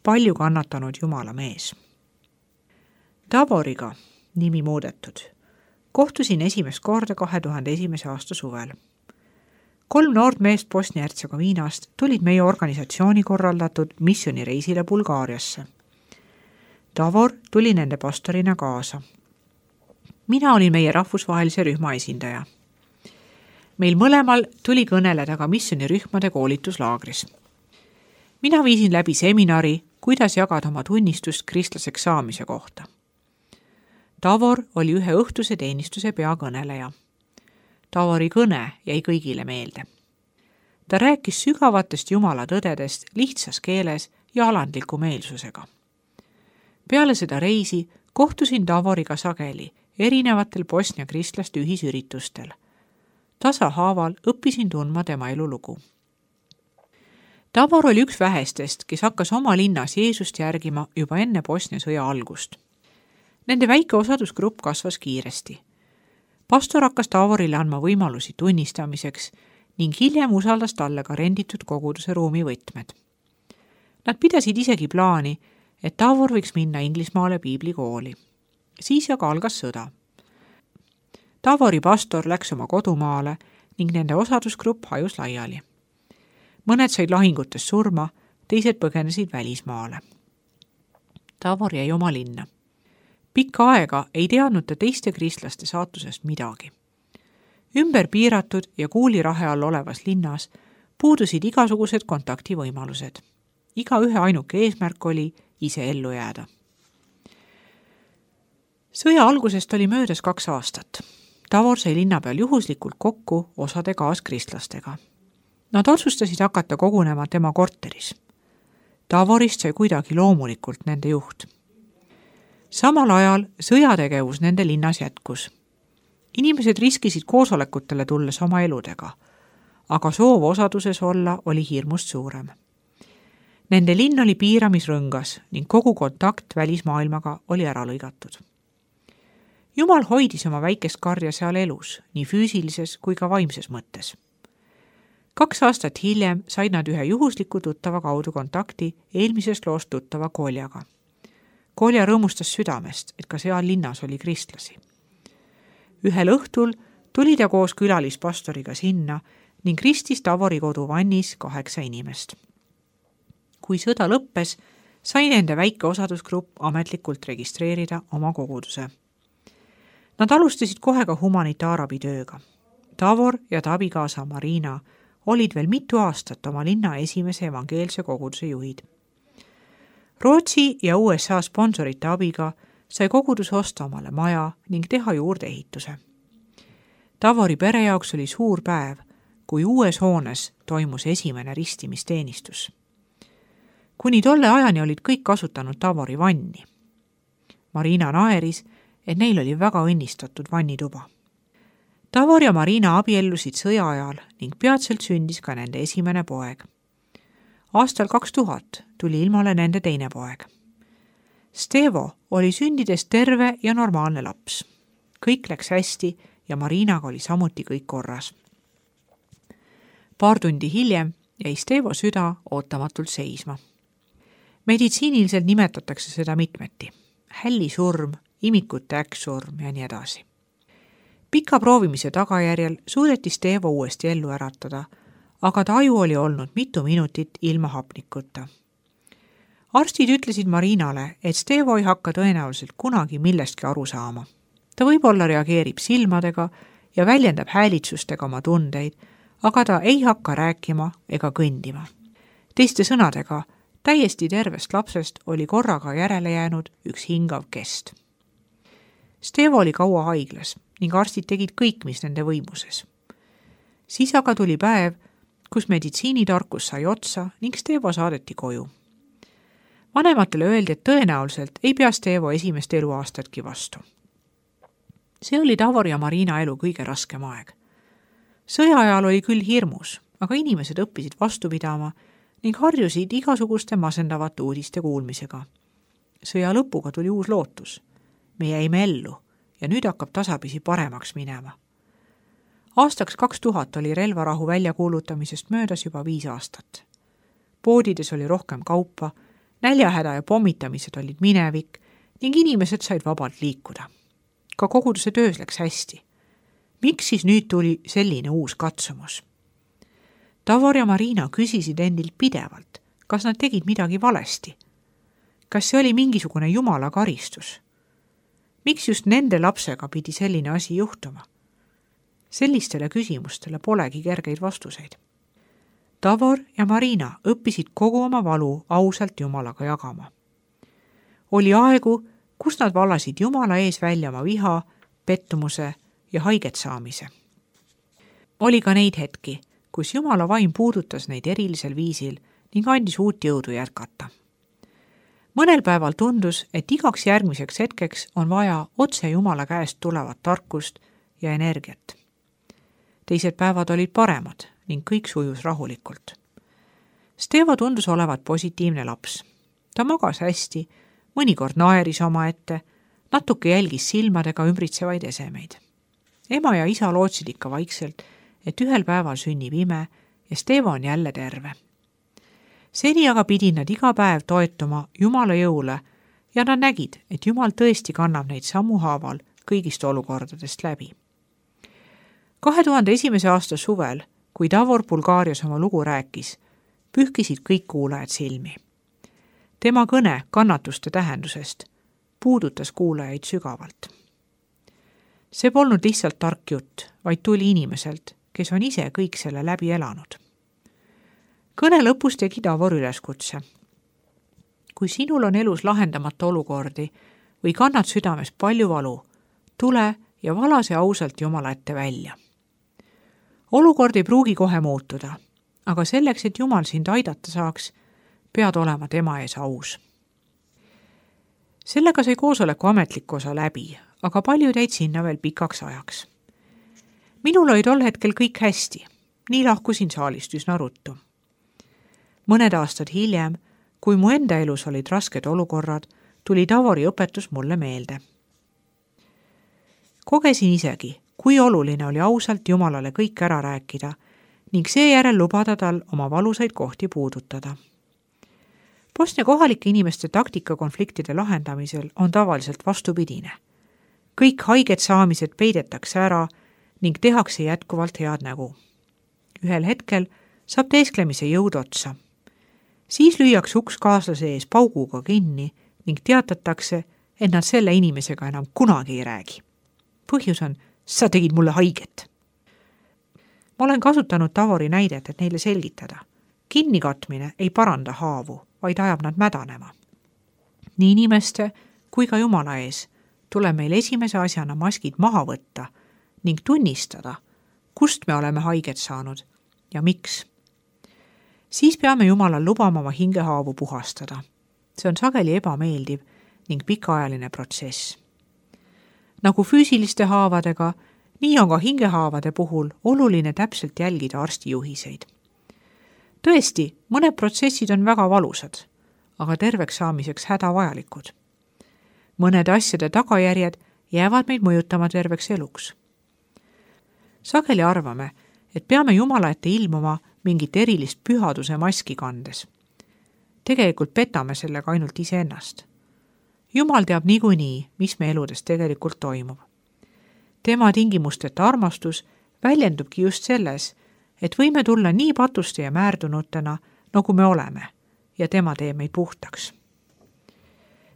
palju kannatanud Jumala mees. Davoriga, nimi muudetud, kohtusin esimest korda 2001. aasta suvel. 3 noort meest Bosnia-Hertsegoviinast tulid meie organisatsiooni korraldatud missioonireisile Bulgaariasse. Davor tuli nende pastorina kaasa. Mina olin meie rahvusvahelise rühma esindaja. Meil mõlemal tuli kõneleda ka missionirühmade koolituslaagris. Mina viisin läbi seminari, kuidas jagada oma tunnistust kristlaseks saamise kohta. Davor oli ühe õhtuse teenistuse peakõneleja. Davori kõne jäi kõigile meelde. Ta rääkis sügavatest Jumala tõdedest lihtsas keeles ja alandliku meelsusega. Peale seda reisi kohtusin Davoriga sageli erinevatel Bosnia kristlaste ühisüritustel. Tasahaaval õppisin tundma tema elulugu. Davor oli üks vähestest, kes hakkas oma linnas Jeesust järgima juba enne Bosnia sõja algust. Nende väike osadusgrupp kasvas kiiresti. Pastor hakkas Davorile andma võimalusi tunnistamiseks ning hiljem usaldas talle ka renditud koguduse ruumivõtmed. Nad pidasid isegi plaani, et Davor võiks minna Inglismaale piiblikooli. Siis aga algas sõda. Davori pastor läks oma kodumaale ning nende osadusgrupp hajus laiali. Mõned said lahingutes surma, teised põgenesid välismaale. Davor jäi oma linna. Pikka aega ei teadnud ta teiste kristlaste saatusest midagi. Ümber piiratud ja kuulirahe all olevas linnas puudusid igasugused kontaktivõimalused. Iga ühe ainuke eesmärk oli ise ellu jääda. Sõja algusest oli möödas 2 aastat. Davor sai linna peal juhuslikult kokku osade kaaskristlastega. Nad otsustasid hakata kogunema tema korteris. Davorist sai kuidagi loomulikult nende juht. Samal ajal sõjategevus nende linnas jätkus. Inimesed riskisid koosolekutele tulles oma eludega, aga soov osaduses olla oli hirmust suurem. Nende linn oli piiramisrõngas ning kogu kontakt välismaailmaga oli ära lõigatud. Jumal hoidis oma väikest karja seal elus, nii füüsilises kui ka vaimses mõttes. 2 aastat hiljem said nad ühe juhusliku tuttava kaudu kontakti eelmisest loost tuttava Koljaga. Kolja rõõmustas südamest, et ka seal linnas oli kristlasi. Ühel õhtul tuli ta koos külalispastoriga sinna ning ristis Davori koduvannis 8 inimest. Kui sõda lõppes, sai nende väike osadusgrupp ametlikult registreerida oma koguduse. Nad alustasid kohe ka humanitaarabitööga. Davor ja ta abikaasa Marina olid veel mitu aastat oma linna esimese evangeelse koguduse juhid. Rootsi ja USA sponsorite abiga sai kogudus osta omale maja ning teha juurde ehituse. Davori pere jaoks oli suur päev, kui uues hoones toimus esimene ristimisteenistus. Kuni tolle ajani olid kõik kasutanud Davori vanni. Marina naeris, et neil oli väga õnnistatud vannituba. Davor ja Marina abiellusid sõja ajal ning peatselt sündis ka nende esimene poeg. Aastal 2000 tuli ilmale nende teine poeg. Stevo oli sündides terve ja normaalne laps. Kõik läks hästi ja Marinaga oli samuti kõik korras. Paar tundi hiljem jäi Stevo süda ootamatult seisma. Meditsiiniliselt nimetatakse seda mitmeti. Hällisurm, imikute äkksurm ja nii edasi. Pika proovimise tagajärjel suudeti Stevo uuesti ellu äratada, aga ta aju oli olnud mitu minutit ilma hapnikuta. Arstid ütlesid Marinale, et Stevo ei hakka tõenäoliselt kunagi millestki aru saama. Ta võib-olla reageerib silmadega ja väljendab häälitsustega oma tundeid, aga ta ei hakka rääkima ega kõndima. Teiste sõnadega, täiesti tervest lapsest oli korraga järele jäänud üks hingav kest. Stevo oli kaua haiglas ning arstid tegid kõik, mis nende võimuses. Siis aga tuli päev, kus meditsiinitarkus sai otsa ning Stevo saadeti koju. Vanematele öeldi, et tõenäoliselt ei pea Stevo esimest eluaastatki vastu. See oli Davor ja Marina elu kõige raskem aeg. Sõja ajal oli küll hirmus, aga inimesed õppisid vastu pidama ning harjusid igasuguste masendavate uudiste kuulmisega. Sõja lõpuga tuli uus lootus. Me jäime ellu ja nüüd hakkab tasapisi paremaks minema. Aastaks 2000 oli relvarahu väljakuulutamisest möödas juba 5 aastat. Poodides oli rohkem kaupa Näljahäda ja pommitamised olid minevik ning inimesed said vabalt liikuda. Ka koguduse töös läks hästi. Miks siis nüüd tuli selline uus katsumus? Davor ja Marina küsisid endilt pidevalt, kas nad tegid midagi valesti. Kas see oli mingisugune jumala karistus? Miks just nende lapsega pidi selline asi juhtuma? Sellistele küsimustele polegi kergeid vastuseid. Davor ja Marina õppisid kogu oma valu ausalt Jumalaga jagama. Oli aegu, kus nad vallasid Jumala ees välja oma viha, pettumuse ja haiget saamise. Oli ka neid hetki, kus Jumala vaim puudutas neid erilisel viisil ning andis uut jõudu jätkata. Mõnel päeval tundus, et igaks järgmiseks hetkeks on vaja otse Jumala käest tulevat tarkust ja energiat. Teised päevad olid paremad ning kõik sujus rahulikult. Stevo tundus olevat positiivne laps. Ta magas hästi, mõnikord naeris omaette, natuke jälgis silmadega ümbritsevaid esemeid. Ema ja isa lootsid ikka vaikselt, et ühel päeval sünnib ime ja Stevo on jälle terve. Seni aga pidid nad iga päev toetuma Jumala jõule ja nad nägid, et Jumal tõesti kannab neid sammuhaaval kõigist olukordadest läbi. 2001. aasta suvel, kui Davor Bulgaarias oma lugu rääkis, pühkisid kõik kuulajad silmi. Tema kõne kannatuste tähendusest puudutas kuulajaid sügavalt. See polnud lihtsalt tark jutt, vaid tuli inimeselt, kes on ise kõik selle läbi elanud. Kõne lõpus tegi Davor üleskutse. Kui sinul on elus lahendamata olukordi või kannad südames palju valu, tule ja vala see ausalt Jumala ette välja. Olukord ei pruugi kohe muutuda, aga selleks, et Jumal sind aidata saaks, pead olema tema ees aus. Sellega sai koosoleku ametlik osa läbi, aga paljud jäid sinna veel pikaks ajaks. Minul oli tol hetkel kõik hästi, nii lahkusin saalist üsna ruttu. Mõned aastad hiljem, kui mu enda elus olid rasked olukorrad, tuli Davori õpetus mulle meelde. Kogesin isegi, kui oluline oli ausalt Jumalale kõik ära rääkida ning seejärel lubada tal oma valusaid kohti puudutada. Bosnia kohalike inimeste taktika konfliktide lahendamisel on tavaliselt vastupidine. Kõik haiged saamised peidetakse ära ning tehakse jätkuvalt head nägu. Ühel hetkel saab teesklemise jõud otsa. Siis lüüakse uks kaaslase ees pauguga kinni ning teatatakse, et nad selle inimesega enam kunagi ei räägi. Põhjus on, sa tegid mulle haiget. Ma olen kasutanud Davori näidet, et neile selgitada. Kinnikatmine ei paranda haavu, vaid ajab nad mädanema. Nii inimeste kui ka Jumala ees tuleb meil esimese asjana maskid maha võtta ning tunnistada, kust me oleme haiget saanud ja miks. Siis peame Jumalal lubama oma hingehaavu puhastada. See on sageli ebameeldiv ning pikaajaline protsess. Nagu füüsiliste haavadega, nii on ka hingehaavade puhul oluline täpselt jälgida arsti juhiseid. Tõesti, mõned protsessid on väga valusad, aga terveks saamiseks hädavajalikud. Mõnede asjade tagajärjed jäävad meid mõjutama terveks eluks. Sageli arvame, et peame Jumala ette ilmuma mingit erilist pühaduse maski kandes. Tegelikult petame sellega ainult iseennast. Jumal teab niikuinii, mis me eludes tegelikult toimub. Tema tingimusteta armastus väljendubki just selles, et võime tulla nii patuste ja määrdunutena, nagu me oleme, ja tema teeb meid puhtaks.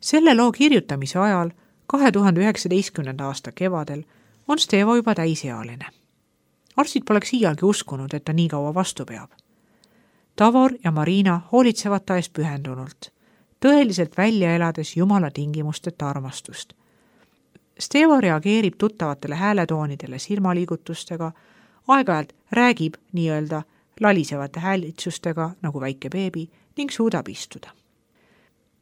Selle loo kirjutamise ajal, 2019. aasta kevadel, on Stevo juba täisealine. Arstid poleks iialgi uskunud, et ta nii kaua vastu peab. Davor ja Marina hoolitsevad ta eest pühendunult, tõeliselt välja elades Jumala tingimusteta armastust. Stevo reageerib tuttavatele hääletoonidele silmaliigutustega, aeg-ajalt räägib nii-öelda lalisevate häälitsustega nagu väike beebi ning suudab istuda.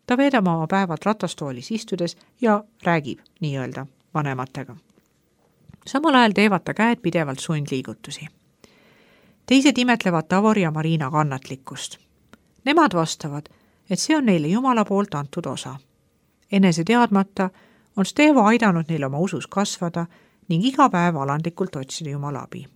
Ta veedab oma päevad ratastoolis istudes ja räägib nii-öelda vanematega. Samal ajal teevad ta käed pidevalt sundliigutusi. Teised imetlevad Davori ja Marina kannatlikkust. Nemad vastavad, et see on neile Jumala poolt antud osa. Enese teadmata on Stevo aidanud neil oma usus kasvada ning iga päev alandlikult otsida Jumala abi.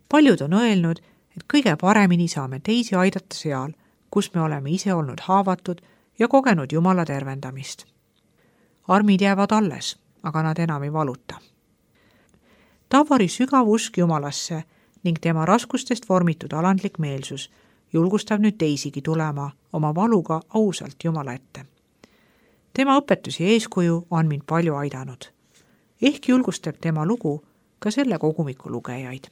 Paljud on öelnud, et kõige paremini saame teisi aidata seal, kus me oleme ise olnud haavatud ja kogenud Jumala tervendamist. armid jäävad alles, aga nad enam ei valuta. Tavori sügav usk Jumalasse ning tema raskustest vormitud alandlik meelsus julgustab nüüd teisigi tulema oma valuga ausalt Jumala ette. Tema õpetusi ja eeskuju on mind palju aidanud. Ehk julgustab tema lugu ka selle kogumiku lugejaid.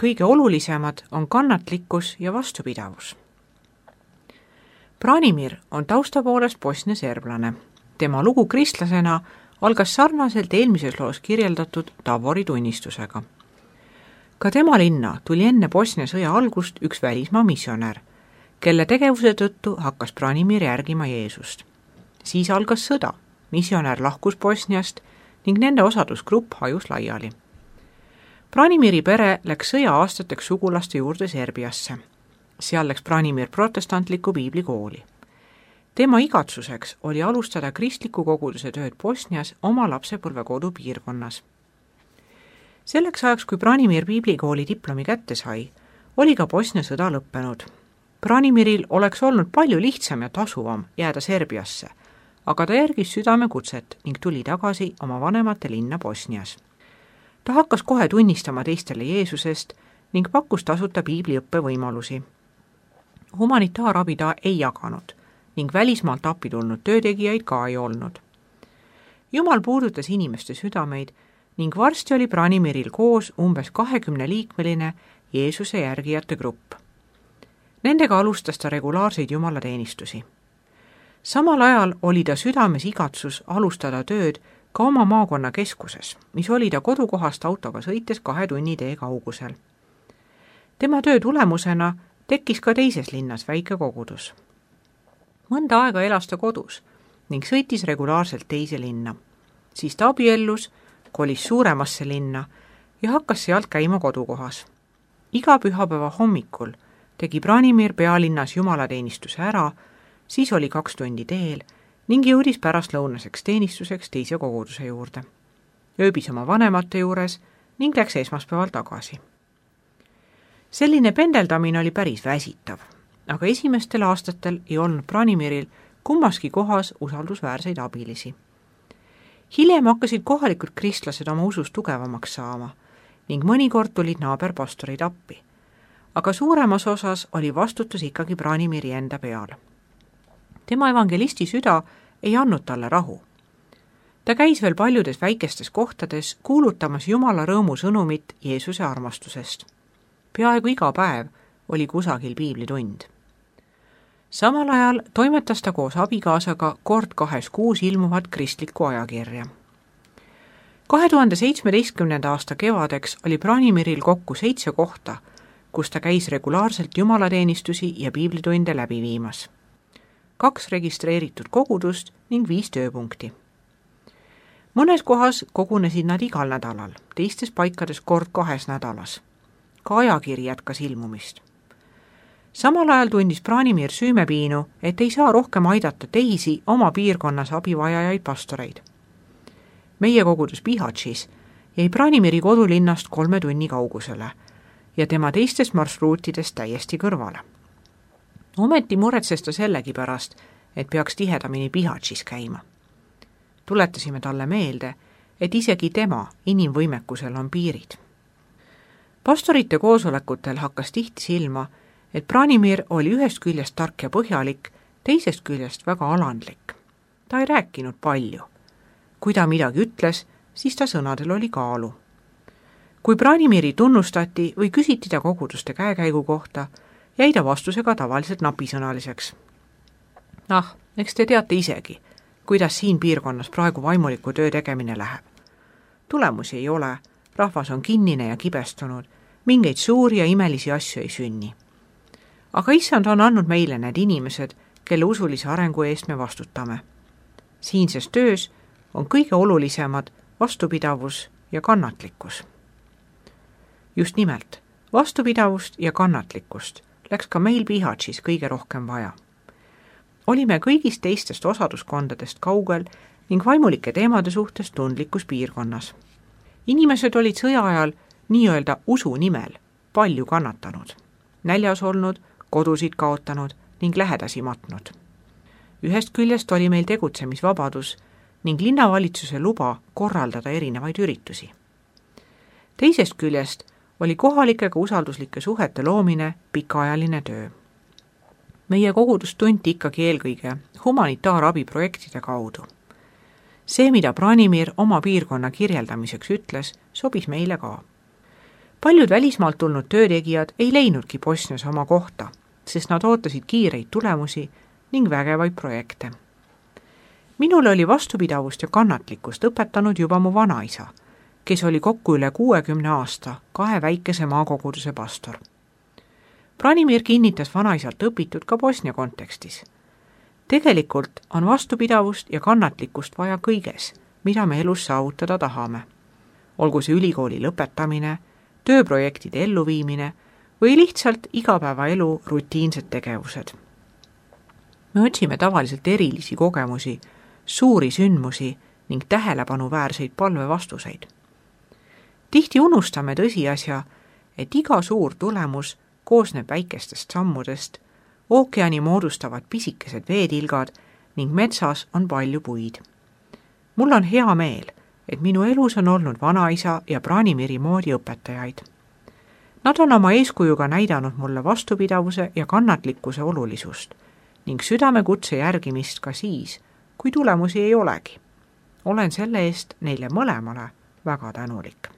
Kõige olulisemad on kannatlikkus ja vastupidavus. Branimir on tausta poolest Bosnia serblane. Tema lugu kristlasena algas sarnaselt eelmises loos kirjeldatud Tavori tunnistusega. Ka tema linna tuli enne Bosnia sõja algust üks välismaa missionär, kelle tegevuse tõttu hakkas Branimir järgima Jeesust. Siis algas sõda, missionär lahkus Bosniast ning nende osadusgrupp hajus laiali. Branimiri pere läks sõja aastateks sugulaste juurde Serbiasse. Seal läks Branimir protestantliku piiblikooli. Tema igatsuseks oli alustada kristliku koguduse tööd Bosnias oma lapsepõlvekodu piirkonnas. Selleks ajaks, kui Branimir piiblikooli diplomi kätte sai, oli ka Bosnia sõda lõppenud. Branimiril oleks olnud palju lihtsam ja tasuvam jääda Serbiasse, aga ta järgis südame kutset ning tuli tagasi oma vanemate linna Bosnias. Ta hakkas kohe tunnistama teistele Jeesusest ning pakkus tasuta piibliõppe võimalusi. Humanitaarabi ta ei jaganud ning välismaalt appi tulnud töötegijaid ka ei olnud. Jumal puudutas inimeste südameid ning varsti oli Branimiril koos umbes 20-liikmeline Jeesuse järgijate grupp. Nendega alustas ta regulaarseid jumalateenistusi. Samal ajal oli ta südames igatsus alustada tööd ka oma maakonna keskuses, mis oli ta kodukohast autoga sõites 2 tunni tee kaugusel. Tema töö tulemusena tekkis ka teises linnas väike kogudus. Mõnda aega elas ta kodus ning sõitis regulaarselt teise linna. Siis ta abiellus, kolis suuremasse linna ja hakkas sealt käima kodukohas. Iga pühapäeva hommikul tegi Branimir pealinnas jumalateenistuse ära, siis oli 2 tundi teel ning jõudis pärastlõunaseks teenistuseks teise koguduse juurde. Ööbis oma vanemate juures ning läks esmaspäeval tagasi. Selline pendeldamine oli päris väsitav, aga esimestel aastatel ei olnud Branimiril kummaski kohas usaldusväärseid abilisi. Hiljem hakkasid kohalikud kristlased oma usus tugevamaks saama ning mõnikord tulid naaberpastorid appi, aga suuremas osas oli vastutus ikkagi Branimiri enda peal. Tema evangelisti süda ei andnud talle rahu. Ta käis veel paljudes väikestes kohtades kuulutamas Jumala rõõmu sõnumit Jeesuse armastusest. Peaaegu iga päev oli kusagil piiblitund. Samal ajal toimetas ta koos abikaasaga kord 2 kuus ilmuvat kristlikku ajakirja. 2017. aasta kevadeks oli Branimiril kokku 7 kohta, kus ta käis regulaarselt jumalateenistusi ja piiblitunde läbi viimas. 2 registreeritud kogudust ning 5 tööpunkti. Mõnes kohas kogunesid nad igal nädalal, teistes paikades kord 2 nädalas. Ka ajakiri jätkas ilmumist. Samal ajal tundis Branimir süümepiinu, et ei saa rohkem aidata teisi oma piirkonnas abivajajaid pastoreid. Meie kogudus Bihaćis jäi Branimiri kodulinnast 3 tunni kaugusele ja tema teistest marsruutidest täiesti kõrvale. Ometi muretses ta sellegi pärast, et peaks tihedamini Bihaćis käima. Tuletasime talle meelde, et isegi tema inimvõimekusel on piirid. Pastorite koosolekutel hakkas tihti silma, et Branimir oli ühest küljest tark ja põhjalik, teisest küljest väga alandlik. Ta ei rääkinud palju. Kui ta midagi ütles, siis ta sõnadel oli kaalu. Kui Branimiri tunnustati või küsiti ta koguduste käekäigu kohta, jäi ta vastusega tavaliselt napisõnaliseks. Eks te teate isegi, kuidas siin piirkonnas praegu vaimuliku töö tegemine läheb. Tulemusi ei ole, rahvas on kinnine ja kibestunud, mingeid suuri ja imelisi asju ei sünni. Aga issand on andnud meile need inimesed, kelle usulise arengu eest me vastutame. Siinses töös on kõige olulisemad vastupidavus ja kannatlikkus. Just nimelt, vastupidavust ja kannatlikkust läks ka meil Bihaćis kõige rohkem vaja. Olime kõigist teistest osaduskondadest kaugel ning vaimulike teemade suhtes tundlikus piirkonnas. Inimesed olid sõja ajal nii-öelda usu nimel palju kannatanud, näljas olnud, kodusid kaotanud ning lähedasi matnud. Ühest küljest oli meil tegutsemisvabadus ning linnavalitsuse luba korraldada erinevaid üritusi. Teisest küljest oli kohalikega usalduslike suhete loomine pikaajaline töö. Meie kogudust tunti ikkagi eelkõige humanitaarabiprojektide kaudu. See, mida Branimir oma piirkonna kirjeldamiseks ütles, sobis meile ka. Paljud välismaalt tulnud töötegijad ei leidnudki Bosnias oma kohta, sest nad ootasid kiireid tulemusi ning vägevaid projekte. Minule oli vastupidavust ja kannatlikkust õpetanud juba mu vanaisa, kes oli kokku üle 60 aasta 2 väikese maakoguduse pastor. Branimir kinnitas vanaisalt õpitud ka Bosnia kontekstis. Tegelikult on vastupidavust ja kannatlikkust vaja kõiges, mida me elus saavutada tahame. Olgu see ülikooli lõpetamine, tööprojektide elluviimine või lihtsalt igapäevaelu rutiinsed tegevused. Me otsime tavaliselt erilisi kogemusi, suuri sündmusi ning tähelepanuväärseid palvevastuseid. Tihti unustame tõsiasja, et iga suur tulemus koosneb väikestest sammudest, ookeani moodustavad pisikesed veetilgad ning metsas on palju puid. Mul on hea meel, et minu elus on olnud vanaisa ja Branimiri moodi õpetajaid. Nad on oma eeskujuga näidanud mulle vastupidavuse ja kannatlikkuse olulisust ning südamekutse järgimist ka siis, kui tulemusi ei olegi. Olen selle eest neile mõlemale väga tänulik.